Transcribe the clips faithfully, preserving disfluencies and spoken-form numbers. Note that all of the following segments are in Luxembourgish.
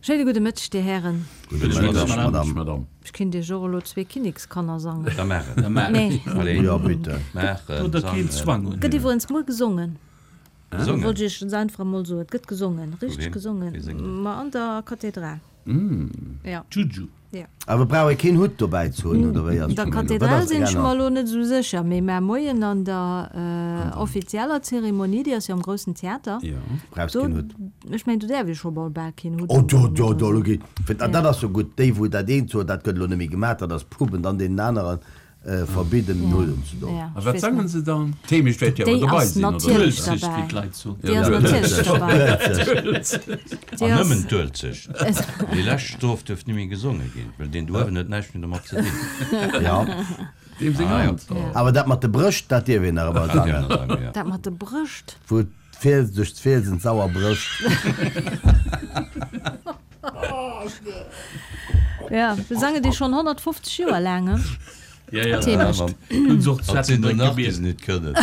Schéine gudde Mëtteg, Dir Hären. Gudde Mëtteg, Madame. Ech kinnt Iech och elo zwee Kinnekskanner sangen. Da maach et. Nee. Allez. Jo, bitte. Maach et. Do der keen Zwang un. Gëtt iwwerens muer gesongen. Gesongen? Wollt ech Iech einfach emol soen. Et gëtt gesongen, richteg Vu wem? gesongen. Wie séngt dat? Ma an der Kathedral. Ja. Juju. Ja. Awer brauch ee keen Hutt dobäi ze hunn, oder wéi ass Der d'Famill? Wat Kathedral ass sinn ech genau? mer elo net esou sécher, mee mar Moien an der offizieller Zeremonie, déi ass jo am groussen Theater, Ja. Brauchs do, keen Hutt. ech mengen, do däerf ee scho bal bal keen Hutt Oh, do, unhunn do, oder do, esou. elo geet, fir, Ja. dat ass jo gutt. Déi, wou dat eent soen, dat gëtt elo net méi gemaach, dat ass Pub, en dann deenen aneren verbidden, den Hutt unzedoen. Ja, A ech wat weess sangen net. se dann? D'Heemecht wäert jo awer Déi dobei ass sinn, oder? natierlech D'Uelzecht, derbäi. wéi d'Leit soen. Déi ass natierlech derbäi. Déi An ass. nëmmen d'Uelzecht. Déi lescht Strof duerf ni méi gesonge ginn, well deen do uewen huet näischt méi domat ze dinn. Ja. Deem seng Ah, ja. Hand. Ja. Awer dat mat de Brëscht, dat dierf een nach ëmmer Dat dierf een sangen. nach sangen, ja. Dat mat de Brëscht. Wou d'Fiels duerch d'Fielsen d'Sauer brécht. Ja, wir sangen déi schonn honnertfofzeg Joer laang, he? Ja, ja. D'Heemecht. Hunn se och Hatt sinn der d'Zettelbréck nach, déi gebiet. se net kënnen.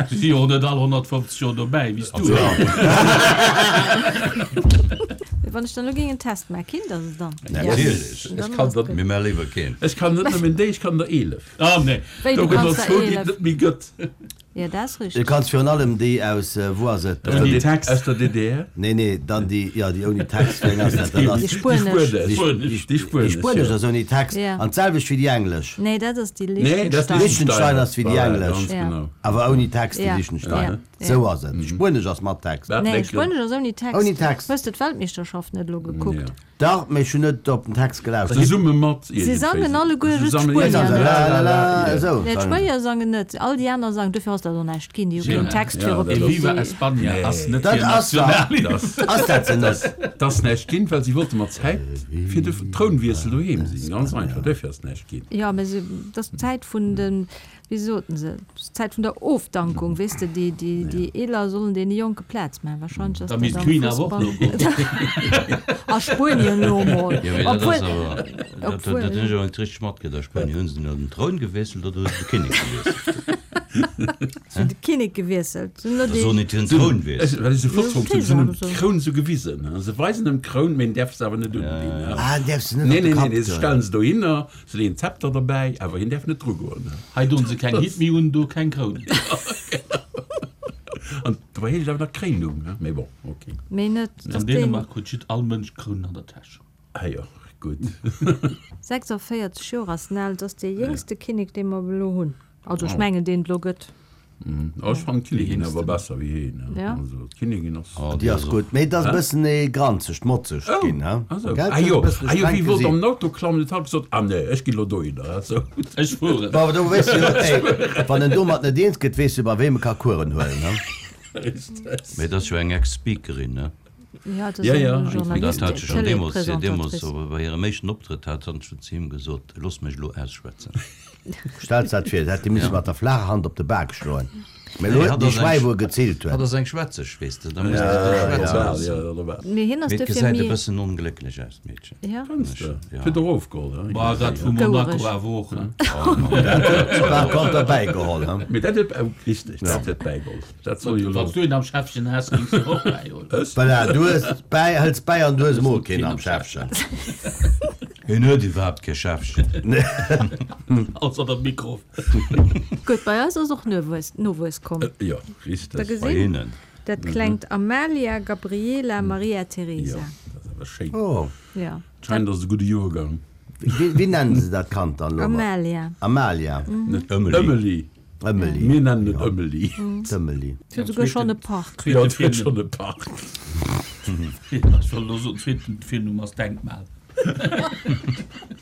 Si si jo och net all honnertfofzeg Joer dobäi, wéi s du. Wann ech dann elo géing en Test maachen, kinnt der se dann? Natierlech. Dann Ech kann ass der gutt. Mir maache léiwer keen. Ech kann net nëmmen déi, ech kann der eelef. Ah, nee. Wéi, du Do gëtt kanns der der zwou, déi et eelef? net méi gëtt. Jo, dat ass Du richteg. kanns virun allem déi aus, wou ass et? Aus der Ouni D- Text. Aus der D D R? Nee, nee, dann déi, jo, déi ouni Text, wéi eng ass dat? Dat ass Déi spuenesch. Déi spuenesch. Déi déi spuenesch, spuenesch jo. ass ouni Text. Ja. An d'selwecht wéi déi englesch. Nee, dat ass déi Nee, dat ass Liechtenstein. Liechtenstein ass wéi déi Voilà, englesch. ganz Ja. genau. Awer ouni Text, déi Ja. Liechtenstein. Ja. Ja. Sou ass et. Déi spuenesch ass mat Text. Wat Nee, denkt spuenesch ass ouni Text. Ouni Text. Hues de d'Weltmeeschterschaft net elo gekuckt? Ja. Dach, mee ech hunn net op den Text gelauschtert. Zesumme mat Si sangen alleguer just Zusammen- d'Spuenier, ne? La, la, la, esou Nee, sangen se. d'Spuenier sangen net, all déi aner sangen. Dofir ass dat och näischt ginn. Déi hu keen Text Ja, fir op dat déi. ass- Viva España ass net Dat hir ass da- Nationalhymn. Ass dat se net? Dat ass näischt ginn, well si wollte mat Zäit fir de Trounwiessel doheem sinn. Ganz einfach, dofir ass näischt ginn. Jo, mä se, dat ass d'Zäit vun den, wéi soten se, d'Zäit vun der Ofdankung, weess de, déi, déi, déi Eeler sollen deene Jonke Plaz maachen. Wahrscheinlech ass Da dat misst am d'Queen awer och Fussball. elo goen. A Spuenien elo emol. Jo, mee dat ass Obwuel, awer, dat, dat, obwuel. dat hunn ech awer net richteg matkritt. A Spuenien hunn se elo den Troun gewiesselt oder hu se de Kinnek gewiesselt? Se hunn de Kinnek gewiesselt. Se hunn elo Da déi. soen net hiren Troun wiesselt. Ech, wat ech esou flott Jo, fonnt hunn, se hunn em Kéiser oder sou. d'Kroun esou gewisen. Se weisen em d'Kroun, mee en däerf se awer net undinn. Ah, en däerf se net Nee, op de nee, nee, Kapp nee, se doen. stellen se dohinner, se leeën d'Zepter derbäi, awer hien däerf net drugoen. Hei doen se keng Hitt méi un, do keng Kroun. An dobäi heescht et awer nach Kréinung, ne? Mee bon, okay. Mee net, An dass deen. Dänemark huet jidd all Mënsch Krounen an der Täsch. Ah jo, gutt. sechsundvierzig Joer ass en al, dat ass dee jéngste Kinnek, dee mer elo hunn. Also ech mengen, deen et elo gëtt. Oh, ech fannen d'Kinnigin awer besser wéi heen. Ja. Also d'Kinnigin ass. Oh, Déi ass gutt, mee et ass e bëssen e granzegt, motzegt Oh, ginn, he? also. Gell? Ah jo, E bëssen ah jo, streng wéi wollt Gesiit. am Auto klammen, huet hatt gesot, ah nee, ech ginn elo dohinner, he, sou. Ech fueren. Bon, awer do weess de jo, ey, wann en domat net eens gëtt, weess de bei weem e ka Kueren huelen, he? Richtig. Mee dat ass jo eng Ex-Speakerin, ne? Ja, dat ass Ja, ja, eng eng An dat Journalistin, hat se schonn deemools, deemools Télé-Présentatrice. bei hirem éischten Optrëtt hat hatt schonn zu him gesot, Looss mech elo ausschwätzen. Stells dat vir, hätt hie misse mat der flaacher Hand op de Bak schloen. Mee elo Nee, huet hatt en déi ass eng Schwäi, Sch wou e geziilt hatt huet. ass eng Schwätzeg, weess de, da muss de dech schwätze Ja, loossen. ja, ja, ja. Mee hien ass Mee et dofir gesäit e méi. bëssen onglécklech aus, d'Meedchen. Ja. Fënns de? Ja. Huet och ofgeholl, he? Bah, dat vu Monaco Gouereg. awer och, he? Dat huet par contre derbäigeholl, he? Mee dat huet, oh, richtig, dat huet bäigeholl. Dat soll jo Wann elo. s du een am Schäffchen häss, géings du och bäiholl. Ech? Voilà, du hues bäi, hëls bäi an du hues emol keen am Schäffchen. Hien huet iwwerhaapt kee Schäffchen. Ausser dem Mikro. Gutt, bei eis ass och Nowuess, Nowuess komm. Jo, Da richtig. Bei gesinn, hinnen. dat klengt Amalia Gabriela Maria Teresa. Jo, dat ass awer schéin. Oh. Ja. Scheint ass e gudde Joergang. Wéi, wéi nennen se dat Kand dann elo? Amalia. Amalia. Net Ëmeli. Ëmeli. Ëmeli. Mir nennen et Ëmeli. D'Ëmeli. Et huet souguer schonn e Park. Jo, et huet schonn e Park. Ech wollt elo soen, zweeten Virnumm ass Denkmal.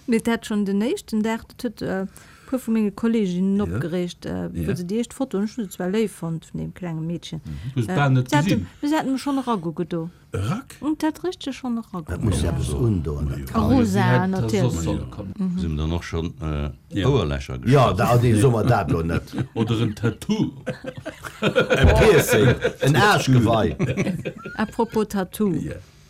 Mee dat schonn den éischten Dag, dat huet e puer vu menge Kolleeginnen opgereegt, wou se déi éischt Foto, ech hu se zwar léif fonnt vun deem klenge Meedchen, Hues bal net se hat gesinn. se hat em schonn eragugedo. Erack? Et hat richteg schonn Dat eragugedo. muss jo eppes undoen, dat A Kand. rosa, Soss natierlech. solle kommen. Se hunn dann och schonn Ouerlächer Jo, gestach. da, ah nee, soe mer dat elo net. Oder en Tattoo. E Piercing, en Aarschgewei. À propos Tattoo.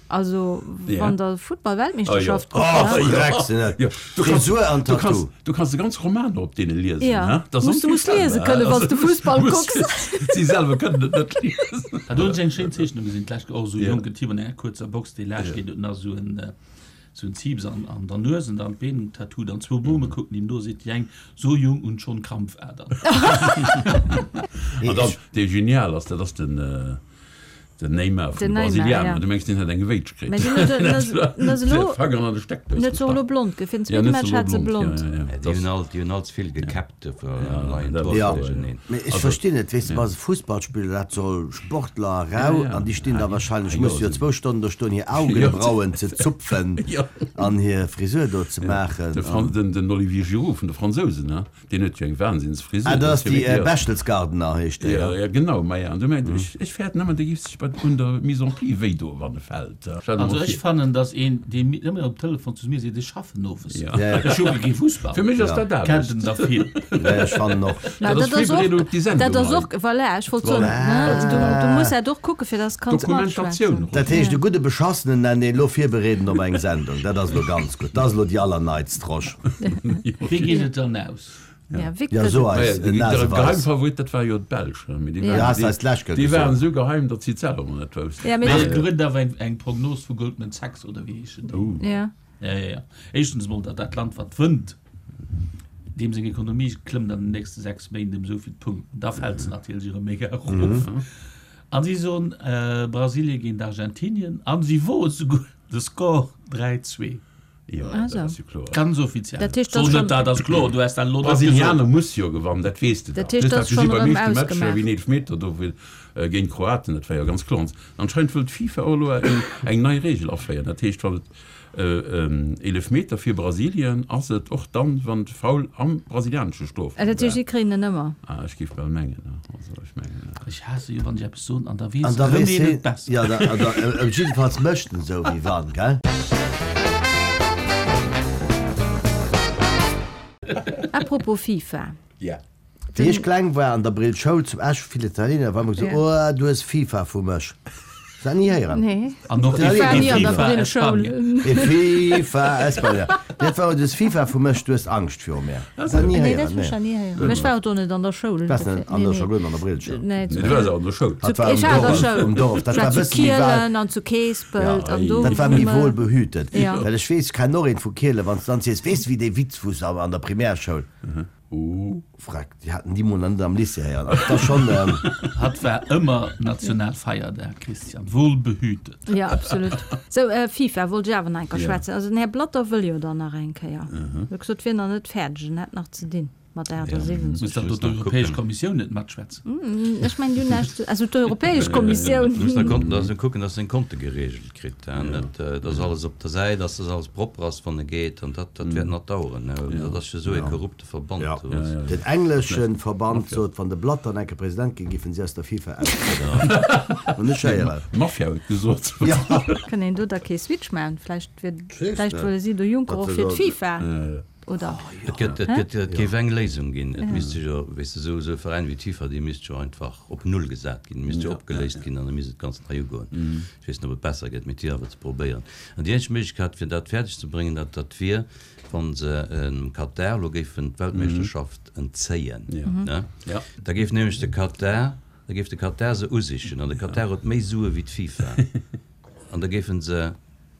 Also wann der Futtball-Weltmeeschterschaft Oh, kuckt, ne? Dreck sinn dat. Ja, du kannst, Frisur an du Tattoo. kannst, du kannst de ganz Roman op deene liesen. Ja. Ne? Das Musst du musst lese kënnen, wann s du Fussball musst- kucks. Si selwer kënnen et net liesen. Da hunn ech eng schéin Zeechnung gesinn, d'lescht och esou e Ja. jonken Typ an enger kuerzer Box, dee laascht geet, huet nach esou en, esou en Zieps an, an der Nues an dann d'Been en Tattoo, dann zwou Bome kucken him no, seet déi eng, so jung und schon Krampfadern. An dann, dee genial ass, dat ass den, äh, den Neymar vun Den de Neymar, Brasilianer. ja. Du mengs, deen hätt eng Gewéitsch kritt. Mä deen huet- den ass- den ass elo- Der Fanger an de Steckdous Net so elo gestach. blond, fir den Ja, zweete net Match so hat se blond. blond. Ja, ja, ja. Déi hunn all, déi hunn all ze vill gekäppt, dofir leien dat- d'Hoer Ja. duercherneen. Mee ech verstinn net, weess de, wa se Fussballspiller, dat soll Sportler rau, Ja, ja. an déi stinn da wahrscheinlech, Ja, musse jo ja. zwou Stonnen do stoen, hir Augenbrauen ze zupfen Ja. an hir Frisur do ze maachen. De Fran den, den Olivier Giroud vun de Fransousen, ne? Deen huet jo eng Wahnsinnsfrisur. Ah, dat ass jo déi wirklich- äh, Berchtesgadener heescht déi, Ja, ja. ja, genau, ma ja. An du mengt, ech, ech fäert nëmmen, dee giff sech bei un der Mise en pli wéi do, wann e fält. Stell dir Also mal ech vir. fannen, dass een, dee mi ëmmer op Telefon zu mir seet, ech schaffen owes. Ja. Ja, ja. Ech kucke kee Fussball. Fir mech ass Ja. dat Kennt Aarbecht. en der vill. Ja, ech fannen och. Na, Dat ass dat ass virbereedung och, op déi Sendung dat ass hei. och, voilà, ech wollt soen, Voilà. ne, du, du muss dat och kucke fir dass kanns Dokumentatioun. matschwätzen. Dat heescht, de gudde Beschassenen nennt een elo virbereeden op eng Sendung. Dat ass elo ganz gutt. Dat ass elo déi allerneitst Rosch. Wéi geet et dann aus? Ja, wéi Ja, gëtt so et- eis, Ja, de, de Naseweis. Geheimfavorit, dat war jo d'Belsch. ne? Mee déi Ja. waren- Ja, hast déi- eis d'lescht Kéier Déi waren gesot. esou geheim, datt si et selwer net woussten. Ja, mee Mee dat- et gëtt awer eng, eng Prognos vu Goldman Sachs oder wéi heeschen déi? Oh. Ja. Ja, ja, ja. Éischtens mol, datt dat Land, wat wënnt, deem seng Ekonomie klëmmt an den nächste sechs Méint ëm esou vill Punkten. Da fält se natierlech erëm mega erof. An si soen, äh, Brasilie géint Argentinien, an si woe souguer de Score dräi zwee. Ja, Also. dat ass jo kloer. Ganz offiziell. Dat heescht, So dat net schon- dat ass kloer, du hast dann elo net Brasilianer gesot. muss jo gewannen, dat weess de Dat dach. heescht, Du dat hast ass gesinn, schon beim erëm éischte Match, ausgemaach. wéi den Elfmeter do will, äh, géint Kroaten, dat war jo ganz kloer. Anscheinend wëll d'FIFA och elo eng, eng nei Regel aféieren. Dat heescht, wann et, äh, ähm, Elfmeter fir Brasilien ass et och dann, wann de Foul am brasilianesche Strofraum Äh, dat heescht, war. si kréien en ëmmer. Ah, ech géif bal mengen, ne? Also, ech mengen, ja. Ech haasse jo, wann ech eppes soen, an da weess An da erëm weess een heen- et besser. Ja, da, da, äh, jiddefalls mécht en esou wéi wann, gell? Apropos FIFA. Ja. Wéi ech kleng war an der Brill Schoul zum Esch vill Italiener, war immer gesot, Ja. Oh, du hues FIFA vu mech. Hast du dat ni héieren? Nee. An och Ich war nie an der FIFA Brillschoul. Espanja. E FIFA Espanja. Dat war, du hues FIFA vu mech, du hues Angscht viru mir. Hast du dat ni Nee, dat héieren? hu ech Nee. nie héieren. Ech war och do net an der Schoul. Was net an der Nee, Schoul, an der Brillschoul. Nee, Nee, du warst an der Schoul. Dat war Ich um war an der Dorf, Schoul. um Dorf. Dat Ich war war zu bëssen méi weit. Kielen an zu Keespelt Ja, an do Dat war méi wou wohl mer- behütet. Ja. Well ech weess, kenn och een vu Kiele, wann s du dann sees, weess du, wéi dee Witz wus an der Primärschoul? Oh. Frag, déi haten déi mol net am Lycée héieren. Also dat schon, ähm, Hat war ëmmer Nationalfeierdag, Christian. Wohl behütet. Ja, absolut. Sou, äh, FIFA wollt ech awer nach eng Kéier Ja. schwätzen. Also den Här Blatter wëll jo dann nach eng Kéier. Mhm. Huet gesot, wier nach net fäerdeg, en hätt nach ze dinn mat der achtsiwwenzeg. Muss dat Muss do nach d'Europäesch kucken. Kommissioun net matschwätzen? Mm, ech mengen, déi hunn näischt ze, also d'Europäesch Kommissioun. Muss nach konnten, dass kucken, dass en Konte geregelt kritt, ja. Net, äh, dass alles op der Säit, dass das alles propper ass, wann e geet, an dat, dat wäert nach dauern, ne. Dat ass jo sou e korrupte Verband, Ja. du weißt. Ja, ja. Den engleschen Verband sot, wann de Blatter enke President ginn, giffen si aus der FIFA austrieden. Und ech héieren. Mafia huet gesot. Ja. Kann een do da kee Switch maachen? Vläicht wier, Weess vläicht net. wëlle si de Juncker Dat och fir soll- d'FIFA. Oder? Et gëtt, et gëtt, et géif eng Léisung ginn. Et misst jo, weess de, sou, sou e Veräin wéi d'FIFA, déi misst jo einfach op Null gesat ginn, misst jo opgeléist ginn an da misst et ganz nei ugoen. Ech weess net, ob et besser gëtt, mee et wier awer ze probéieren. An déi eenzeg Méiglechkeet, fir dat fäerdeg ze bréngen, dat, dat wier, wann se dem Katar elo géifen d'Weltmeeschterschaft entzéien, Ja. ne? Ja. Da géif nämlech de Katar, da géif de Katar se usichen an de Katar huet méi Sue wéi d'FIFA. An da géifen se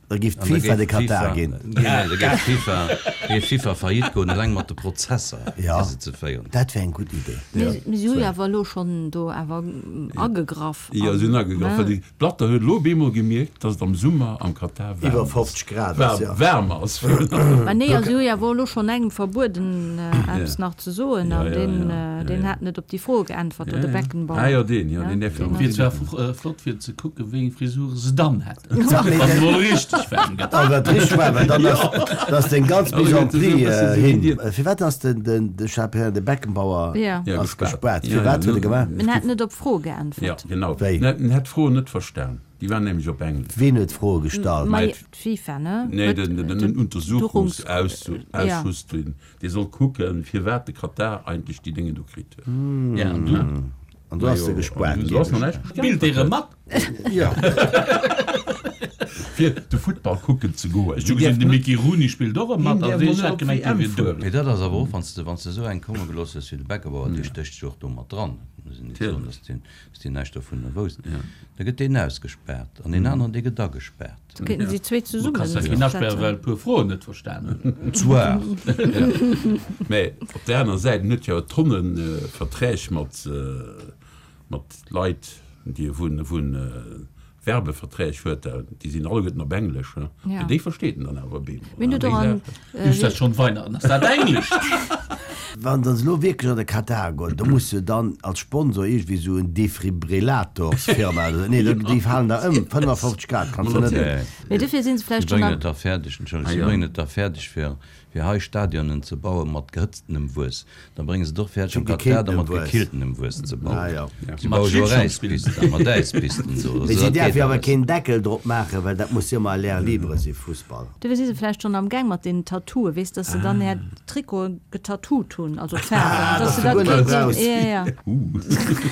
Da géif An da d'FIFA géif de Katar d'FIFA ginn. Nee, nee, da géif d'FIFA, géif d'FIFA faillite goen, eleng mat de Prozesser, Ja. déi se ze féieren. Dat wär eng gutt Idee. Mee mee si hu jo awer elo schonn do awer agegraff. Ja, si hunn agegraff, well de Blatter huet elo bemol gemierkt, dass et am Summer am Katar waarm Iwwer ass. fofzeg Grad ass, Waarm, ja. waarm ass. Ma nee, also si hu jo awer elo schonn engem verbueden, eppes Ja. nach ze soen, Ja, an ja, deen, ja. Ja, deen ja. hat net op déi Fro geäntwert, Ja, oder de ja. Beckenbauer. Ah, ja, deen, ja, Ja, deen därf jo deen net. Wier zwar flott fir ze kucken, wéi eng Frisure se dann hätten. Sag mir, Wann der- mol richtig waarm gëtt. Oh, dat richtig waarm, well dann ass, dass den ganz Also, Mise en gëtt es pli, e bëssen äh, so hin. wie Äh, firwat ass den, den, de Chaperon, de Beckenbauer Ja. Ja, ass gespaart. gespaart? Ja, Firwat ja, huet e gemaach? En hat net op d'Fro Ja, geäntwert. genau. Wéi? En hat d'Fro net verstan. Déi waren nämlech op Englesch. Ween huet d'Froe gestallt? Mei, Mei, d'FIFA, ne? Nee, Huet den, den, den den Untersuchungsausschuss, den, dee soll kucken, firwat de Katar eigentlech déi Dinge do kritt huet. Ja, an du? An du hast se gespaart. Du hast noch näischt Spillt dee rëm mat? Ja. Fir de Futtball kucken ze goen. Ech hu gesinn, de Mickey Rooney spillt och erëm mat. Also ech hat gemengt, dee wier dout. Mee dat ass awer och, wann s de, wann s de esou eng komme gelooss hues wéi de Beckenbauer, dee stécht jo och do mat dran, muss een net soen, datt deen, datt deen näischt dovunner wousst, da gëtt deen ausgespaart an deen aneren, dee gëtt agespaart. Da kéinten si zwee Du zesummen kanns dat keen aspären, well e puer Froen net verstan hunn. Zwar. Mä op där aner Säit, en huet jo Tonne Verträg mat, mat Leit, déi e vun, vun Werbeverträg huet, déi sinn alleguerten op Englesch, he? Ja. Déi versteet en dann awer op eemol. Mir hunn Déi och an, Saachen. Ist dat schonn Weihnachten? Ass dat Englesch? Wann se elo wierklech an de Katar goen, do muss jo dann als Sponsor iergendwéi esou en Defibrillatorsfirma oder nee, déi falen der ëm, fënnefafofzeg Grad kanns du net. Mee dofir sinn se Si vläicht schonn bréngen am. et da fäerdeg, entschëllegt, si bréngen et da fäerdeg fir, fir hei Stadionen ze baue mat gehëtztenem Wuess. Da brénge se et och fäerdeg am Katar da mat gekilltenem Wuess ze bauen. Si Mat baue jo och Schlittschong spillen. Äispisten, mat Äispisten do. Mee Also si dat däerf geet jo awer alles. keen Deckel drop maachen, well dat muss jo ëmmer à l'air libre si, Fussball. Dofir si se vläicht schonn am Gaang mat deenen Tattooe, weess, dass se dann är Trikote getattoot hunn, also d'Faarwen, dass dass se du dat guer net kéinten, brauchs. jo,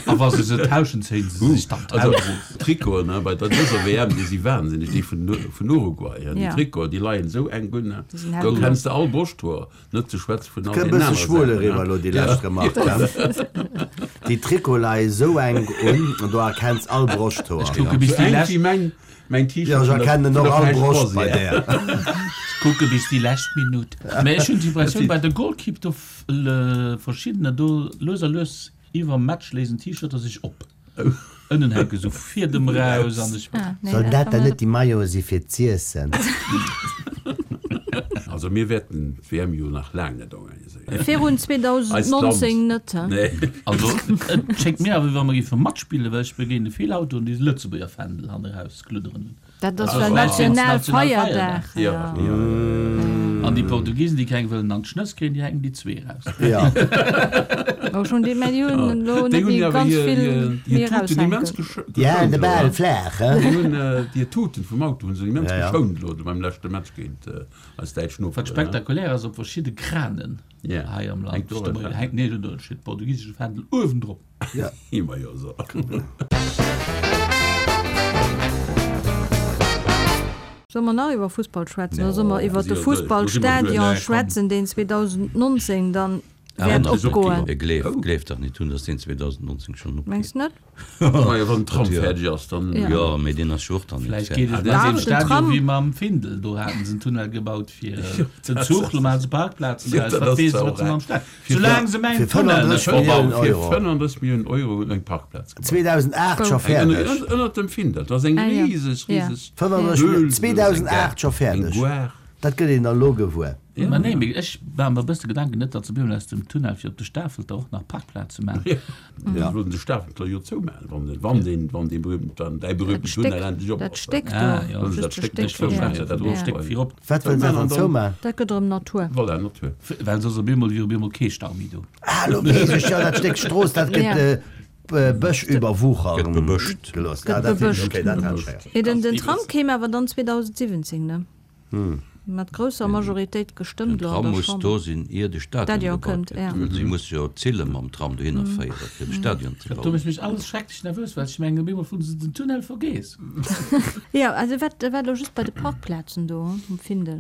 jo. A wa se se tauschen, zéien se sech dann Also d'Haut erof. d'Trikoten, he, bei der dëser W M, déi si wahnsinneg, déi vun, vun Uruguay, he, déi Ja. Trikoten, déi leien esou enk un, he. Déi sinn Do hellblo. kenns de all Broschthoer, net ze schwätze vun all Kënnt deenen bësse anere schwul Saachen, eriwwer he. elo déi lescht Remark, he. Déi Trikote leie sou enk un, an do erkenns all Broschthoer. Ech kucke bis Sou déi enk lescht, wéi mäin, mäin T-Shirt Ja, ech vun der, erkennen vun och der all Fläsch Broscht bei Croisière. där. ech kucke bis déi lescht Minutt. Mä ech hunn d'Impressioun, bei de Golkipp do verschiddener do lues a lues iwwerm Match léisen d'T-Shirter sech op. Ënnen hänke sou Fiedem raus an ech. Ah, nee, Soll dat dat war dann net net déi Maillote si fir z'iessen? Also mir wäerten d'W M jo nach laang net organiséieren. Virun Eist zweedausendnonzéng Land. net, he? Nee. Also et schéngt mir awer, wéi wa mer géife matspillen, well ech begéine vill Autoen, déi Lëtzebuerger Fändel hanneraus gludderen hunn. Dat ass Also well vläicht wéinst Nationalfeierdag. Nationalfeierdag. Ja, ja. An déi Portugiesen, déi keng wëllen an d'Schnëss kréien, déi hänken déi zwee raus. Ja. Oh, schon déi, mä déi hunn elo Déi net hunn méi awer ganz hir, vill hir, méi hir Tuten immens raushänken. gescho- Ja, geschount de elo, Bal he. flaach, he? Déi hunn hir Tuten vum Auto hunn se immens Ja, ja. geschount elo beim leschte Match géint eis däitsch Wat Noperen, he. spektakulär ass, op verschidde Kranen Ja. hei am Land Hänkt och steet e Fändel. hänkt, nee, do steet de portugiesesche Fändel uewendrop. Ja. Immer jo so. Solle mer nach iwwer Fussball schwätzen? Oder Ja, solle mer iwwer de si jo duerch. Fussballstadion Nee, komm. schwätzen, deen zweedausendnonzéng dann wäert Awer opgoen? E gleeft, gleeft dach net hunn, datt deen zweedausendnonzéng schonn opgeet. Mengs net? Majo, wann den Tram Dat jo. fäerdeg ass, dann. Ja. Jo, mee deen ass jo och dann net Vläicht geet fäerdeg. et mat Dach, deem den Stadion Tram. wéi mam Findel. Do haten se en Tunnel gebaut fir den Zuch, lo maachen se Parkplazen Ja, draus. dat Wat ass weess zwar wat och se mam eng. Stadion. Fir Soulaang se mengen fir Tunnel net fënnenddrësseg Milliounen verbauen. Fir Euro. fënnenddrësseg Milliounen Euro hunn eng Parkplaz gebaut. zweedausendacht scho Eng fäerdeg. ënner, ënnert dem Findel. Dat ass eng Ah, ja. rieseg, Ja. rieseg fënnenddrësseg Höhl, Milliounen, zweedausendacht scho eng fäerdeg. Guar. Dat gëtt een dann elo gewuer. Ja. Ma nee, mee ech war mer e bësse Gedanken net, datt se bemol aus dem Tunnel fir op de Stafelter och nach Parkplaze maachen. Ja. Ja. Wollen de Stafelter jo zoumaachen, wann den, wann den, wann dee berühmten, dann däi berühmten Dat Tunnel Stéck, endlech op dat ass. Stéck Ah, do. ja. Wollen se Just dat de Stéck Stéck, net zoumaachen, ja. ja, dat Ja. och Stéck virop. Wat wëllen se dann zoumaachen? Dat gëtt erëm Natur. Voilà, Natur. Well soss op eemol wier op eemol kee Stau méi do. Ah, lo weess ech, ja, dat Stéck Strooss, dat gëtt Ja. äh, Bësch überwuchern Gëtt bebëscht. gelooss. Gëtt Ja, dat bebëscht. okay, dat hat ech, ja. Nee, den, den Tram kéim awer dann zweedausendsiwwenzéng, ne? Mat grousser Majoritéit gestëmmt Den lo an Tram der muss Chamber. do sinn, ier de Stadion Stadion gebaut kënnt, gëtt. ja. Well si muss jo d'Zille mam Tram dohinner féieren, fir de Stadion ze Do bauen. mécht mech alles schrecklech nervös, well ech mengen, op eemol hunn se den Tunnel vergeess. Ja, also wat, wat lo just bei de Parkplazen do um Findel.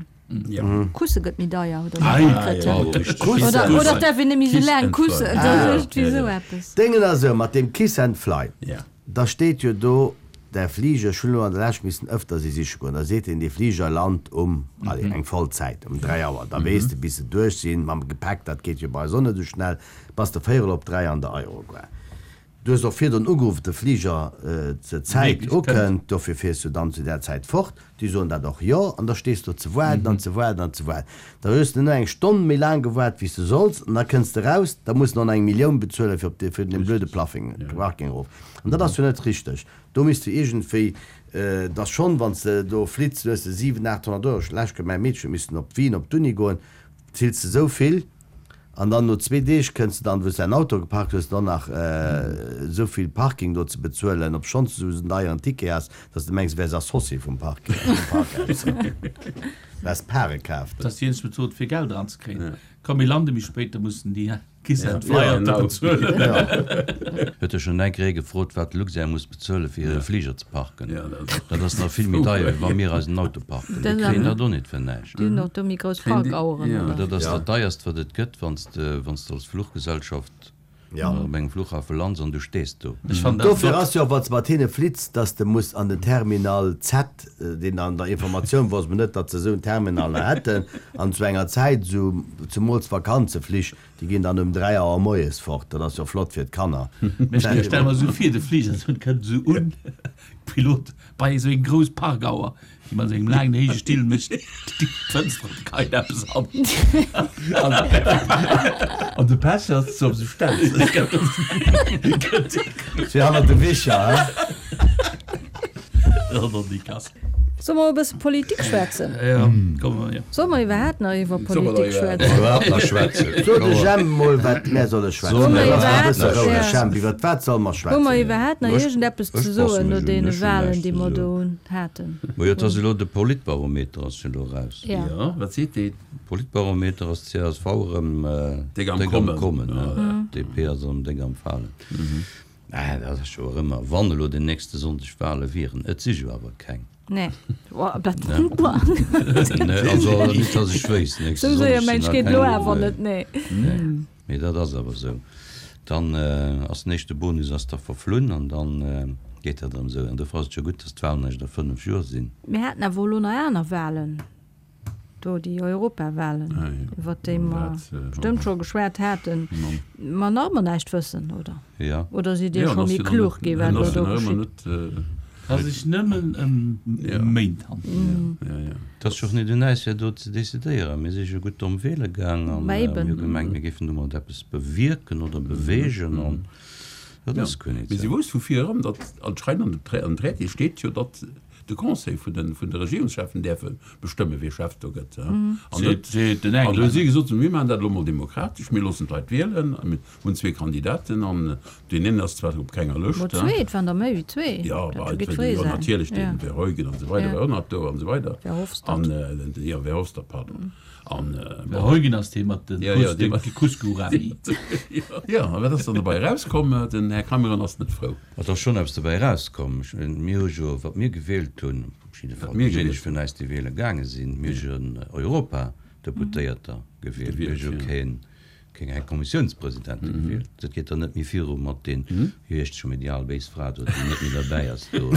Ja. Kusse gëtt méi deier oder Ah, wat ja, kritt, ja, ja. richtig. Kussen. Oder, oder darf een nemmi sou Kiss laang and kussen, fly. dat Ah. ass irgendwie sou eppes. Déngen ass esou, mat dem Kiss and Fly. Ja. Da steet jo do der Flieger, ech hunn elo an der Lescht missen ëfter si siche goen, da seet een, dee Flieger lant um, allez, eng Vollzäit, um dräi Auer. Da weess de, bis se duerch sinn, mam Gepäck, dat geet jo bei eis och net esou schnell, bass de véierel op dräi an der Aerogare. Du hues och virdrun ugeruff, de Flieger äh, zur Zäit Méiglechst ukënnt, dofir fiers du dann zu der Zäit fort. Déi soen dat och jo, an da stees du ze waarden an ze waarden an ze waarden. Da hues du nur eng Stonn méi laang gewaart, wéi s du solls, an da kënns de raus, da muss du noch eng Millioun bezuelen fir op de, fir den blöde Plaffing, Parking erof. An dat ass jo net richteg. Do misst du iergendwéi, äh, das schon, wann du do flitzt, du hues de siwen, achthonnert Euro, schlecht, mäi Meedche missten op Wien op d'Uni goen, zills du sou vill, an dann no zwee Deeg kënns du dann, wou s du dein Auto geparkt hues, dann nach äh, sou vill Parking do ze bezuelen, obschonns du sou en deieren Ticket has, dass du mengs, wäers Associé vum Parking, vum Parkhaus. Du has Pare kaaft. Dat ass déi eenzeg Method fir Geld eranzekréien. Komm mir lande méi spéit, da mussen déi Kiss Ja. and Fly Ja, genau. bezuelen. Huet der schonn enk Ree gefrot, wat d'Luxair muss bezuelen, fir hire Fliger ze parken? Ja, dat Dat ass nach vill méi deier, wéi wa mir eisen Auto parken. Dat Mir ass kréien awer- dat och net fir näischt. Déi hunn och do méi grouss Kréien déi- Parkaueren, ja. oder? Dat ass Ja. dat deierst, wat et gëtt, wann s de, wann s de als Fluchgesellschaft Ja. op engem Flughafe lands an du stees do. Ech fannen dat Dofir flott. ass jo och, wann s de mat hinne flitts, dass de muss an den Terminal Z, deen an der Informatioun wosst mer net, datt se esou en Terminal nach hätten, an zu enger Zäit, esou zemools Vakanzeflich, déi ginn dann um dräi Auer moies fort. Dat ass jo flott fir d'Kanner. Mee ech stelle mer esou vir, de Fliger esou kënnt esou un, Pilot bei esou eng grouss Parkauer, déi mat sengem laangen héije Still mécht d'Fënster op, geheit eppes an. An de Pech ass, dass se op sou stellt. Fir hannert de Wicher, hä? An die Kass. Solle mer e bësse Politik schwätzen? Ja, komm, ja. Solle mer iwwerhaapt nach iwwer Solle mer Politik da schwätzen? Iwwerhaapt nach schwätzen? So de Jemp mol, wat mär solle schwätzen. Solle mer Lass mal e iwwerhaapt bësse nach, roueg, ja. Jemp, iwwer wat solle mer Hu mer schwätzen? iwwerhaapt nach Ech- iergendeppes ech ze passe soen no mech un, deene ech hunn Wahlen, näischt déi ze mer do soen. haten? Ma jo, et ass elo de Politbarometer ass jo elo eraus. Ja. Ja, wat seet deen? Politbarometer ass d'CSV erëm Déck am déck am Kommen. Kommen, Ja, ne? DP ass erëm déck am Falen. Äh, dat ass jo och ëmmer, wann elo den nächste Sonndeg Wale wieren. Et si jo awer keng. Nee. Oh, dat Nee, also net, dass ech wéisst. Nächste Sou séier Sonndeg sinn mensch nach geet elo keng awer Wale. net, nee. Nee. Mee dat ass awer esou. Dann ass den éischte Bonus ass da verflunn an dann geet dat erëm esou. An dofir ass et jo gutt, dass d'Walen eréischt a fënnef Joer sinn. Mir haten awer elo nach aner Walen, do déi Europawalen, Ah, jo. iwwer déi mer Dat, äh, bestëmmt scho geschwat haten, mer nach ëmmer näischt wëssen, oder? Ja. Oder sidd Dir Ja, scho an ass méi jo dann klug net- gi wat an elo ass jo do nach ëmmer geschitt? net, äh, Ka sech nëmmen ëm Ja. Méint handelen. Ja, ja. Et ass jo och net un äis, fir do ze decidéieren. Mir si jo gutt domm wiele gaang an Ma mir eben. hu gemengt, mir géifen domat eppes bewierken oder beweegen an dat ass guer net Mee si esou. wousst vu vir erëm, datt anscheinend an dem Tra- an Traité steet jo, datt de Conseil vun den, vun de Regierungscheffen däerfe bestëmme wie Chef do gëtt. Ja. An Seet, net, seet den an do hu Engländer. si gesot, mir maachen dat elo mol demokratesch, mir loossen d'Leit wielen, a mir hunn zwee Kandidaten an deen een ass zwar op kenger Mo Lëscht, ja. zwee, et waren der méi wéi zwee. Ja, Dat bah, geet et fréi jo, sein. natierlech, Ja. den Verheugen an esou weider, Ja. war och nach do an esou weider. Verhofstadt. An, äh, den, ja, Verhofstadt, pardon. An, äh, bon. Verheugen ass dee mat den Ja, ja, Kus, dee de mat- Cusco-Rami. Ja, a wat ass dann dobäi erauskomm? Den Här Cameron ass net frou. Et ass schonn eppes dobäi erauskomm. Ech mengen, mir hu jo, wat mir gewielt hunn, op jidde Fall Wat mir déijéineg gewielt vun eis, déi wiele gaange sinn, mir hu jo en Europadeputéierter gewielt. Mir hu Gewielt, jo ja. keen, keng eng Kommissiounspresidente gewielt. Dat geet dann net méi viru mat den, wéi heescht scho méi, déi al béis Fra do, déi net méi derbäi ass do,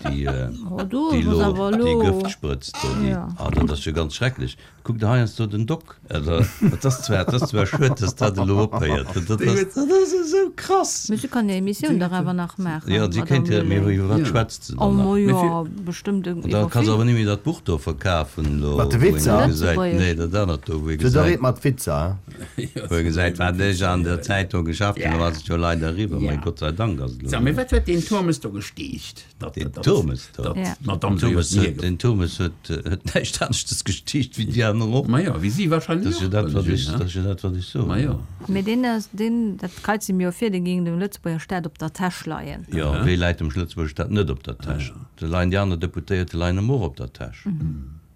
déi, Oh, do déi ass lo awer déi elo- Gëft sprëtzt do, déi, Ja. ah, dat ass jo ganz schrecklech. Kuck der heiansdo den Doc. Also, dat ass zwar, dat ass zwar schued, dass dat elo ophéiert. Dat, dat ass, dat ass esou krass. Mee si kann hir Emissioun dach awer nach maachen, Ja, si Madame kéint jo, mee Lulling. iwwer wat Ja. schwätzt se Oh, dann nach? ma Mee jo, fir- bestëmmt An da iwwer kann se vill. awer net méi dat Buch do verkafen elo, Mat de wou een Witzer? gesäit, Lëtzebuergesch. nee, dat anert do, wou ee Du, da gesäit, reet mat Witzer, hä? wou ee gesäit, wat ech an der Zeitung geschafft hunn, da ass et jo leider eriwwer. Ja. Mee Gott sei Dank ass et elo Sag, mee eriwwer. wat huet deen Turmes do gestiicht? Dat, Den dat, Turmes do? dat Ja. d'Madame Den Turmes Soyez huet, den Turmes huet, huet näischt aneschtes gestiicht wéi déi aner och. Ma jo, wéi si wahrscheinlech Dat ass jo och, dat, wat ech, ne? dat ass jo dat, wat ech soen. Ma jo. Mee deen ass, deen, dat kreize mir jo vir, deen géing dem Lëtzebuerger Staat op der Täsch leien. Jo, wéi läit dem Lëtzebuerger Staat net op der Täsch? Do leien déi aner Deputéierte leien em och op der Täsch.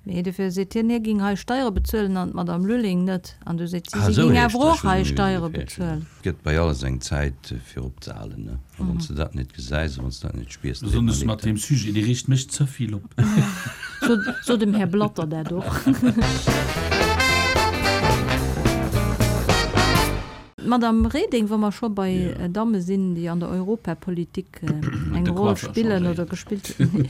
Mee dofir seet hien, hie géing hei Steiere bezuelen an d'Madame Lulling net. An du seet si, Ah, si esou géing heescht awer dat, och ech hunn hei et Steiere méi wéi bezuelen. Et gëtt bei alles eng Zäit fir opzehalen, ne? A wann s de dat net gesäis a wann s de dat net spiers, da Besonnesch leet mat dat. deem Sujet, dee reegt mech ze vill op. So, so dem Här Blatter dat och. Madame Reding, wa mer scho bei Ja. Damme sinn, déi an der Europapolitik eng De Roll Coiffer spillen changéiert. oder gespillt hunn.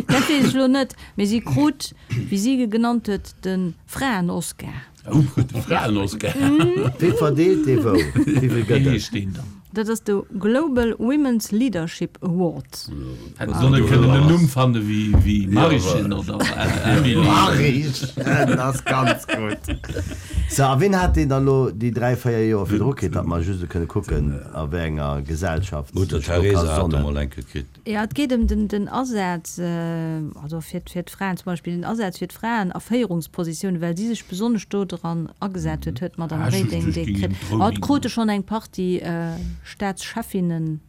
Dat weess ech elo net, mee si krut, wéi si genannt huet, de Fraen-Oscar. Oh, de Fraen-Oscar. Wie verdeelt dee wou? Wéi vill Wéi gëtt et? heescht deen dann? Dat ass de Global Women's Leadership Award. Hätten se net kënnen en Numm fanne wéi, wéi Marischen oder Emily. Marischen, dat ass ganz gutt. So, a wien hat deen dann elo déi dräi, véier Joer virdru kritt, datt mer just kënne kucken, a wéi enger Gesellschaft Mutter sech do ka Teresa hat sonnen. emol eng gekritt. Ja, et geet ëm den, den Asaz, also fir, fir d'Fraen zum Beispill, den Asaz fir d'Fraen a Féierungspositiounen, well si sech besonnesch do dran agesat huet, huet d'Madame Ah, just, Reding just dee géing kritt. ëm d'Roaming. Ah, et krute schonn eng Partie Staatschefinnen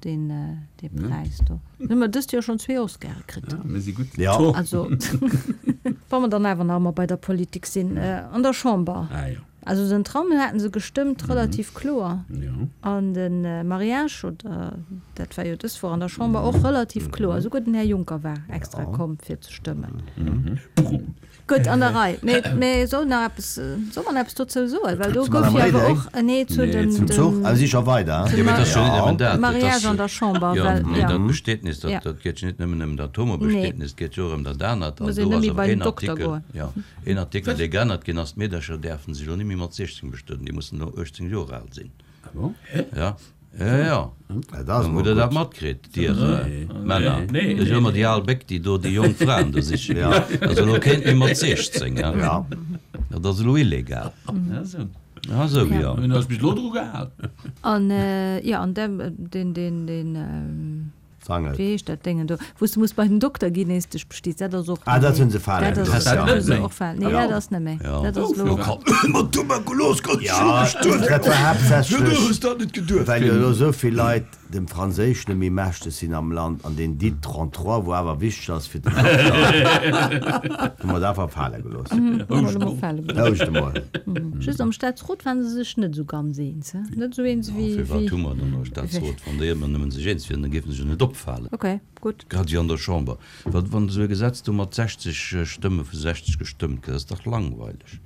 deen, dee Präis do. Hunn mer dëst Joer schonn zwee Oscare kritt. Ja, mir si gutt. Ja. Also. Wa mer dann awer nach emol bei der Politik sinn, an der Chamber. Ah jo. Also den Tram haten se gestëmmt, relativ kloer. Jo. An de Mariage, oder dat war jo dës Woch an der Chamber och relativ kloer. Esouguer den Här Juncker war extra komm fir ze stëmmen. Gutt, an der Rei. Mee, mee soll nach eppes, soll mer nach eppes dozou soen? Well do Zu gouf Madame jo awer Reding? och en Nee zu Nee, dem, zum Zum Zuch? dem Ah, si scho weider? zum Jo, mee et ass jo net nëmmen Mar dat. Et Mariage ass, an der Chamber, jo, well, mee ja. dat Bestietnis, dat, Ja. dat geet jo net nëmmen ëm dat Nee. Homobestietnis, et geet jo och ëm dat anert. An Muss een do net ass méi awer bei den een Dokter Artikel, goen. jo, een Artikel, dee geännert ginn ass, d'Meedercher däerfen sech elo net méi mat siechzéng bestueden, déi mussen elo uechtzéng Joer al sinn. Ah bon? Ja, ja, ja. Ja, dat ass Hutt mol Der dat gutt. matkritt, Dir Nee. Männer? Nee, Dat ass jo ëmmer déi al Béck, déi do déi jonk Fraen do siche ginn. Ja. Also elo kéint ee mat siechzéng, ja. Ja. Dat ass elo illegal. Ja, sou. Ja, sou, ja. Hunn eis bis elo dru gehal. An, jo, an deen, deen, deen, Sangel. Wéi heescht dat Déngen do, wou s de muss bei den Dokter ginn, ees dech bestiets? Dat ass och Ah, net dat méi. hunn se fale Dat ass, gelooss, dat ja. hu se och falen. Nee, dat ass net méi. Ja. Dat ass elo. Mat Tuberkulos ganz Ja, dat war haaptsächlech, dat net geduecht. well jo elo esou vill Leit dem Franséischen net méi mächteg sinn am Land an deen Dit trente-trois, wou awer wichteg ass fir den Dokter, hu mer dat einfach fale gelooss. Mhm, hu mer elo fale gelooss. Houscht emol. Just am Staatsrot waren se sech net esou ganz eens, he? Net esou eens wéi, Firwat wéi. hu mer dann e Staatsrot, wann déi ëmmer nëmmen sech eens wieren, da géife se jo net opfalen. Ok, gutt. Grad wéi an der Chamber. Wat, wann esou e Gesetz do mat sechzeg Stëmme vu sechzeg gestëmmt gëtt, ass dach langweileg.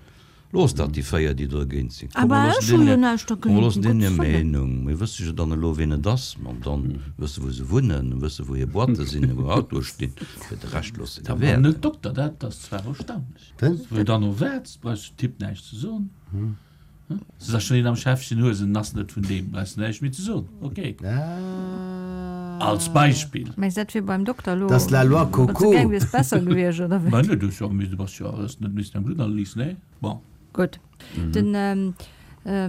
Looss dat déi véier, déi dergéint sinn. Komm, mer Awer loossen ech hu jo deenen, näischt komm, mer dergéint, loossen um deenen hir Gottes Wëllen. Meenung. Mir wësse jo dann elo, wien et ass. An dann wësse, wou se wunnen, wësse, wou hir Boîte sinn, wou Autoe stinn. Fir de Rescht loosse Da se war wäerten. net Dokter, dat ass zwar erstaunlech. Den? Wou dann no wäerts, brauchst du Typ näischt ze soen. Se ass schon een am Schäffchen Huesen ass net vun deem, brauchst du näischt méi ze soen. Ok. Als Beispill. Mengs dat wier beim Dokter elo, Dat ass la loi wann s du Coco. gaang wiers, besser gewiescht, oder wéi? Mä net, du hues jo du bass jo hues net missen eng Blutanalyse, nee? Bon. Gutt. Den,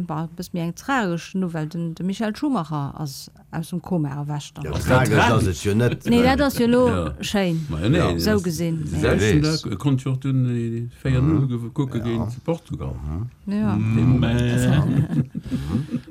bah, e bësse méi eng tragesch Nouvelle, den de Michael Schumacher ass aus dem Koma erwächt. Jo, tragesch ass et jo net. Nee, dat ass jo elo Ja. schéin, Ma nee, esou gesinn. De selwechten Dag konnt jo och dunn déi véier Null kucke géint Portugal. Ja.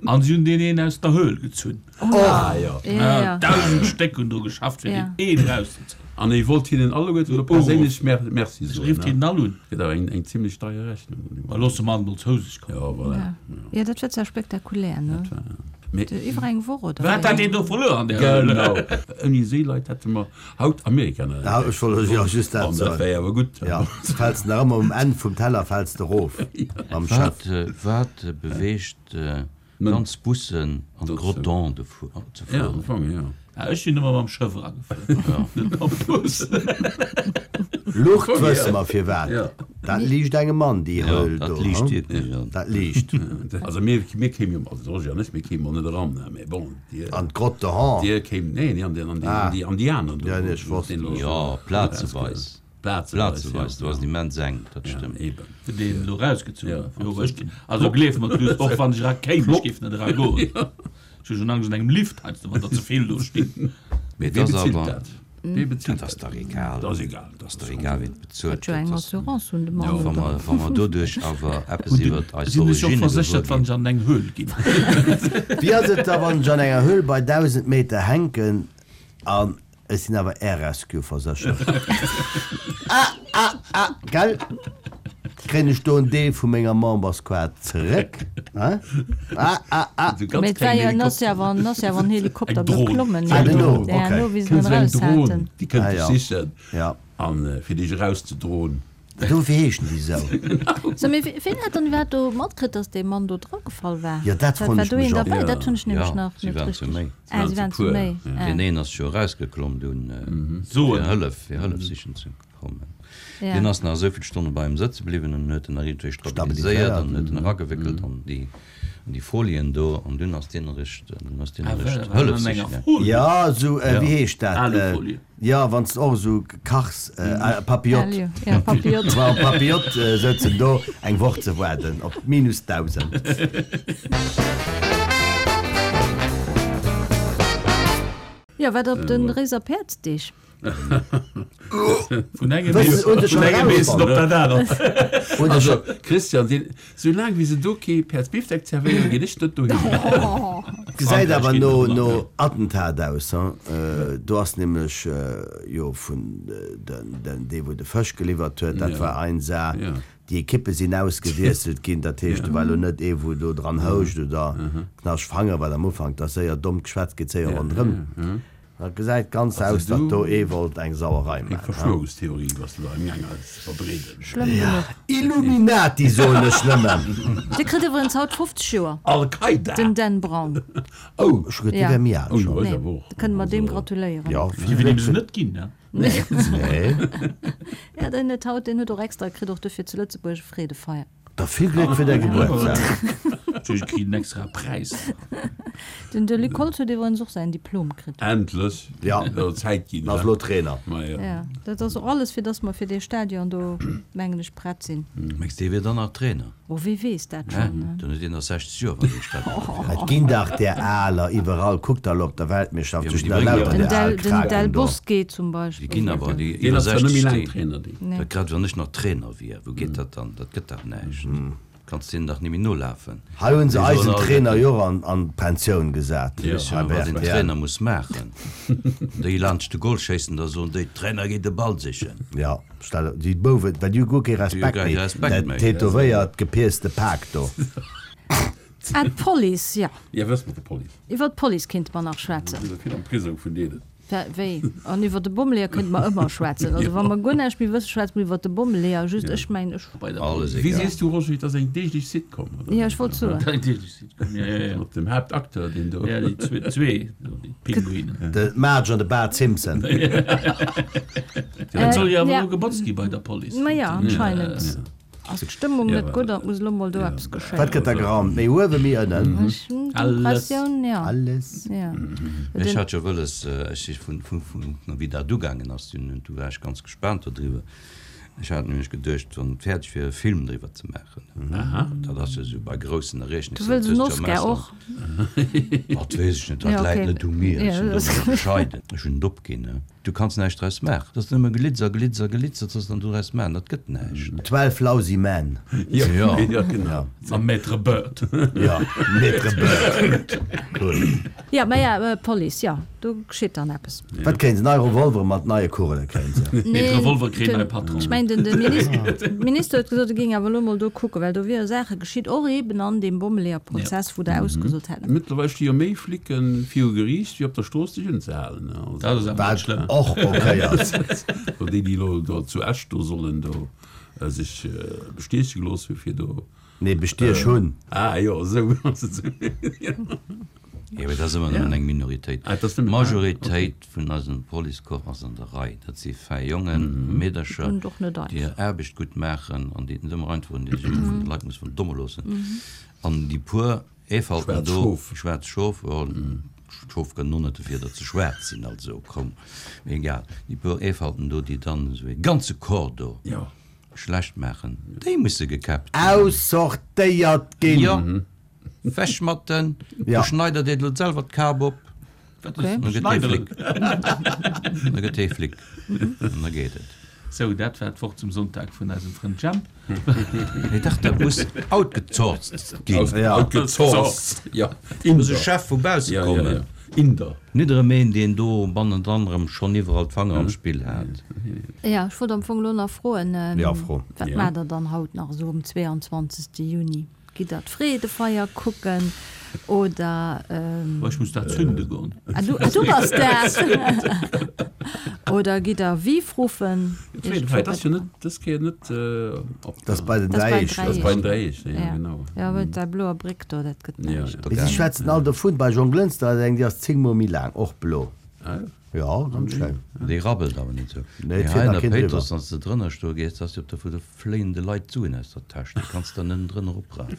An si hunn deen een aus der Höhl gezunn. Ah jo. Ja, ja. Dausend Stéck hunn do geschafft, fir Ja. deen een erauszezéien. An e wollt hinnen alleguerten elo perséinlech Merci soen. Rifft hinnen all un. Gëtt awer eng, eng zimlech deier Rechnung. Ma looss de Mann mol zou sech kommen. Ja, voilà. Ja. Ja, dat war zwar spektakulär, ne? Dat war, mee. Iwwer eng Woch oder Wat wéi? hat deen do verluer an där Höhle? Genau. Ouni esou Leit hätte mer haut Amerika net Ja, entdeckt. ech wollt jo just dat An dat soen. wär awer gutt. Ja, du fäls nach ëmmer um Enn vum Teller fäls de erof mam Wat, Chef. wat beweegt ganz Bussen an d'Rotonde ze Ja, am fueren? Fong, ja. Ja, ech sinn ëmmer mam Schëff eragefuer, net mam Bus. Luucht wësse mer firwat. Ja. Dat liicht engem an, déi Ja, Höhl dat do, liicht hm? wierklech an. Dat liicht. Also mir, mir kéim jo, also de Roger an ech, mir kéimen och net eran, ne, mee bon, dir, An d'Grotte de Han. dir kéimt, nee, nee, an déi, an déi, Ah. an déi, an déi aner do. Ja, nee, ech wosst. Den elo Ja, plazeweis. Plazeweis, Plazeweis, do ass et immens enk, dat Ja, stëmmt. eben. Fir deen elo erausgezunn Ja, huet. Jo, ech, also gleef mer, du, och wann ech era kéim, ech géif net era goen. Ech hu schon Angscht an engem Lift heiansdo, wann der ze vill do stinn. Mee et Wie ass bezilt awer, dat? Wie bezilt dat ass dat? dach egal. Dat ass egal. Dat ass dach egal, wien et bezuelt. Huet jo eng Dat ass, Assurance hunn de Mann, wa oder? mer, wa mer doduerch awer eppes Hunn iwwer de, eis sinn ech och Origine verséchert, gewuer wann ginn. ech an eng Höhl ginn? Wéi ass et da, wann ech an enger Höhl bei dausend Meter hänken an ech sinn awer Air Rescue verséchert? Ah, ah, ah, gell? Kréien ech do en Deel vu menger Memberskaart zeréck? Hein? Ah, ah, ah. So ganz Mee et war klengen jo, en ass jo Helikopter. awer, en ass jo awer en Helikopter Eng Dron. beklommen, Ah, jo. den no, Ja, okay. no, wéi se Kënnt en sou eng eraus Dron, haten. déi kënnt Ah, dech ja. sichen Ja. an fir dech erauszedroen. Dofir heeschen déi esou. So, mee wien hat dann iwwerhaapt do matkritt, dass dee Mann do dragefall war? Ja, dat War froen war ech do mech een och. derbäi? Ja. Dat hunn ech nämlech Ja, nach si net waren zu richtig. méi. Ah, Si si waren waren zu zu puer, méi. ja. Ah. Deen een ass jo erausgeklomm dunn, Soen. fir Hëllef, fir Hëllef sichen ze kommen. Ja. Deen ass nach esou vill Stonne bei him sëtze bliwwen an huet en nach iergendwéi stabiliséiert Stabiliséiert. an huet en eragewéckelt an déi, an déi Folien do an dunn ass deen eréischt, dunn ass deen Ah, eréischt war Hëllef an enger sichen. Folie? Ja, esou, Ja. wéi heescht dat? Alufolie. Ja, wann s de och esou kachs, äh, Papillote. Alu, ja, Papillote. War Papillote sëtzen do eng Woch ze waarden op minus dausend. Ja, wat op den Réiser Päerdsdeeg? Vun engem Wëssen, hunn se vun schon engem Mees op erausfonnt? dat anert. Hunn se Also, schon Christian, deen, soulaang wéi se do kee Päerdsbifdeck zerwéieren, ginn ech net dohin. Gesäit awer no no Attentat aus, hein. Do ass nämlech jo vun den den dee wou de Fësch geliwwert huet, dat war ein Saach. Déi Ekippe sinn ausgewiesselt ginn, dat heescht do war elo net ee wou do dran houscht oder knascht Fanger, well am Ufank, dat ass séier domm geschwätzt, geet séier ronderëm. Dat gesäit ganz aus, datt do ee wollt eng Sauerei Eng maachen. Verschwörungstheorie, was du da am Gaang ass ze verbreeden. Schlëmm genuch. Illuminati soen ech nëmmen. Dee kritt iwwerens haut fofzeg Joer, Al-Qaida! den Dan Brown. Oh! Ech hu geduet, dee wär méi al Oh, schonn. jo, Nee, awer och. da kënne mer deem gratuléieren. Jo, Déi vill wëll Gléck em se fir. net ginn, ne? Nee. Nee. Ja, deen huet haut, deen huet och extra, kritt och dofir zu Lëtzebuerg e Freedefeier. Da vill Gléck fir däi Gebuertsdag. Ech kritt en extra Präis. Den de Luc Holtz huet iwwerens och säin Diplom kritt. Endlech. Ja. Et ass Zäit ginn. Ass elo Trainer. Ma jo. Ja, dat ass och alles, fir dass mer fir dee Stadion do, mengen ech, prett sinn. Mengs dee wier dann nach Trainer? Oh, wie weess dat Hä? schonn, ne? Dann huet deen nach sechzeg Joer, wann dee Stadion do Et ginn dach där Aler iwwerall. Kuckt der elo op der Weltmeeschterschaft, Ja, do mee stinn déi der bréngen lauter Den där al Del, den Del Kraken do. Bosque zum Déi Beispill. ginn awer déi Deen iwwer ass zwar net méi sechzeg laang déi. Trainer, dee. Nee. Dat grad wann ech nach Trainer wier, wou geet dat dann? Dat gëtt dach näischt. Kanns deenen dach nemmi nolafen. Hei hunn se Déi eisen soen all, Trainer jo och an an d'Pensioun gesat. Déi wësse Hei jo, bei wat een R T L. Trainer muss maachen. Déi laanscht de Goal schéissen, da soen déi, Trainer geet de Ball sichen. Ja, stell déi Bouwen, well déi hu guer kee Déi hu Respekt guer méi. kee Respekt Dat méi. tätowéiert, gepiercte Pak do. Ah, d'Police, ja. Ja, wat ass mat der Police? Iwwer d'Police kéinte mer nach schwätzen. Sinn der vill am Prisong vun deenen? Wéi? An iwwer de Bommeleeër kënnte mer ëmmer schwätzen. Also wa mer guer näischt méi wëssen, schwätze mer iwwer de Bommeleeër. Just ech mengen, ech. Bei der Alles Wéi egal. sees du, Roger, et ass eng deeglech Sitcom, oder? Ja, ech wollt soen. Eng deeglech Sitcom, ja, ja, ja. Mat dem Haaptacteur, deen do. Ja, déi zwee, zwee, déi Pinguinen. De Marge an de Bart Simpson. Et soll jo awer Ja. elo gebotzt gi bei der Police. Ma ja, anscheinend. Ass d'Stëmmung Ja, net gutt, dat muss elo mol do eppes Wat geschéien. gëtt da geraumt? Méi uewen, méi ënnen? Ech hunn d'Impressioun, ja. Alles. Ja. Ech hat jo wëlles, ech si vun, vun, vun, wéi dat ugaangen ass, dunn, du war ech ganz gespaant dodriwwer. Ech hat nämlech geduecht, wann et fäerdeg wier, e Film driwwer ze maachen. Aha. Dat ass jo esou bei groussen Du Ereegnisser, wëlls dat en hues du Oscar am och? Ausland. Dat weess ech net, dat Ja, läit okay. net u mir, ech Ja, sinn do dat méi bescheiden. Ech hunn et opginn, ne. Du kanns näischt draus maachen. Dat ass nëmme Glitzer, Glitzer, Glitzer, wat soss dann doraus maachen? Dat gëtt näischt. Twelve Lousy Men. Ja, Ja. ja, genau. Mam Maître Bird. Ja, Maître Bird. Cool. Ja, ma ja, Police, ja, do geschitt dann eppes. Wat kréien se? Nei Revolvere mat neie Kugele kréien se. Nee, de Revolver kritt den- nei Patron. Ech mengen, den, den Minister, Minister huet gesot, e géing awer elo mol do kucken, well do wiere Saache geschitt, och eben an deem Bommeleeër-Prozess, wou der ausgesot hätten. Mëttlerweil sti jo méi Flicken viru Geriicht, wéi op der Strooss sech unzehalen. Also, Dat ass awer net Wat schlëmm. och okay ass. So déi, déi elo do zu Esch do sollen do äh, sech äh, bestieche gelooss hu fir do. Nee, bestiech hunn. Ah jo, esou ass et. Jo, mee dat ass ëmmer nëmmen eng Minoritéit. Ah, dat ass nëmmen- D'Majoritéit vun eisem Policecorps ass an der Rei. Dat si fäi Jongen, Meedercher, Und och net déi einfach. hir Aarbecht gutt maachen an déi et net ëmmer einfach hunn, déi sech ëmmer vun de Leit musse verdomme loossen. An déi puer Eefalten Schwaarz do, Schof. schwaarz Schof, jo, d'Schof kënnen och net dofir, datt se schwaarz sinn, also komm, mee egal. Déi puer Eefalten do, déi dann esou e ganze Corps do Jo. schlecht maachen, déi musse gekäppt ginn. Aussortéiert ginn! Jo, wech mat den, Ja. du schneider dir elo selwer d'Kap op. Wat Okay. ass Dann gëtt dee Schneideren? Flick. Dann gëtt dee Flick. An da geet et. Sou, dat war d'Wort zum Sonntag vun eisem Frënd Jemp. Nee, dach, dat muss outgesourced ginn. Ja. Outgesourced. Ja. Muss e Chef vu bausse Ja, ja, kommen. ja. Inder. Nit erëm een, deen do bannendran erëm schonn iwwerall d'Fanger am Spill hat. Ja, ech wollt am Fong elo nach froen, Ja, fro. wat Ja. maacht der dann haut nach esou um zweeanzwanzegste Juni? Gitt der d'Freedefeier kucken oder Oh, ech muss dat zünde goen. Ah, du, ah, du bass dat! Oder gitt der Viv ruffen? D'Freedefeier, dat ass jo net dës Kéier net op Dat ass bei den Dat ass bei den Dräiesch. Dat ass bei den Dräiesch, ja, Ja. genau. Ja, well där bloer Bréck do, dat gëtt Ja, näischt. ja. Mee si schwätzen all dovun, bei Jonglënster ass eng, déi ass zéng Mol méi laang, och blo. Ah, Ja, ganz schéin. Déi rabbelt awer net esou. Nee, et Mee fiert hei an nach der keen driwwer. Péitruss, wann s de drënner stoe gees, da ass jo op der Fu, do fléien de Leit d'Suen aus der Täsch, déi kanns de dann nënnen drënner oprafen.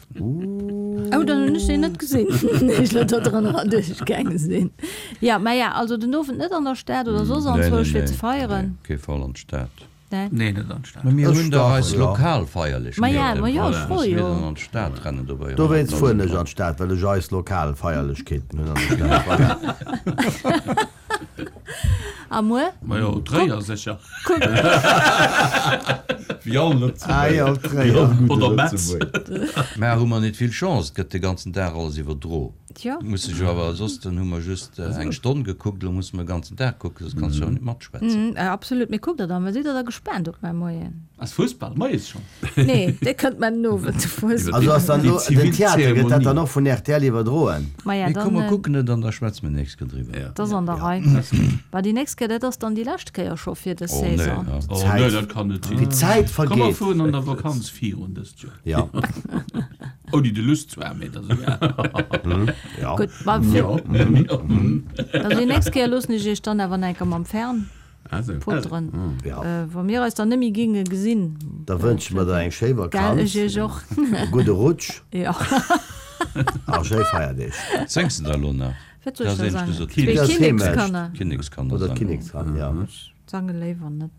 Oh, dann hunn ech déi net gesinn, déi ech elo do drënner erduerchgaange sinn. Ja, mä ja, also den Owend net an der Stad oder soss anzwousch fir ze feieren? Nee, kee Fall an d'Stad. Nee. Nee, net an d'Stad. Mä mir Ech hunn dach dach, eis ja. lokal Feierlechkeeten. Ma ja, ma jo, ech Voilà, froe musse mir jo. dann an d'Stad rennen dobäi Dowéinst fueren ech honnertdausend an d'Stad, well ech eis lokal Feierlechkeeten hunn an der Stad. Voilà. A muer? Ma jo, Tréier sécher. Kuck. Wéi all Ah jo, Lëtzebuerger. Tréier. Oder Metz. Mä hu mer net vill Chance, et gëtt de ganzen Dag alles iwwerdro. Tjo. Muss ech jo awer, soss dann hu mer just eng Stonn gekuckt, elo musse mer e ganzen Dag kucken, soss kanns du jo net matschwätzen. Mm, absolut. Mee kuckt der dann, sidd der da gespaant op mäi Moien? Ass Fussball moies schonn? Nee, dee kënnt mä den Owend, de Fussball. Also ass dann Déi elo den zivil Theater, gëtt dat dann Zeremonie. och vun R T L iwwerdroen? Maja, Mee komm, mer dann, kucken et an da schwätze mer nächst Kéier driwwer. Ja. dat ass an der Rei. Bah, déi nächst Kéier, dat ass dann déi lescht Kéier scho fir dës Oh nee, Saison. ja. Oh Zäit. nee, dat kann net sinn. Wéi d'Zäit Komm, mer vergeet. fueren an der Vakanz virun dëst Joer. Ja. Ouni de Lust zwar, mee dat ass egal. Ja. Gutt, ma fir, Ja. also déi nächst Kéier loossen ech iech dann awer nach eng Kéier mam Fern Also. poteren. Ja. Äh, wa mir eis dann net méi ginge gesinn. Da wënsche mer der eng schéi Gell, Vakanz, ech iech och. e gudde Rutsch Ja. a schéi Feierdeeg. Séngs de da elo nach? Wat soll ech Dat ass da éinescht sangen? gesot. Zwee Das Heemecht. Kinnekskanner. Kinnekskanner Oder sangen. d'Kinnekskanner, ja. Sange léiwer net.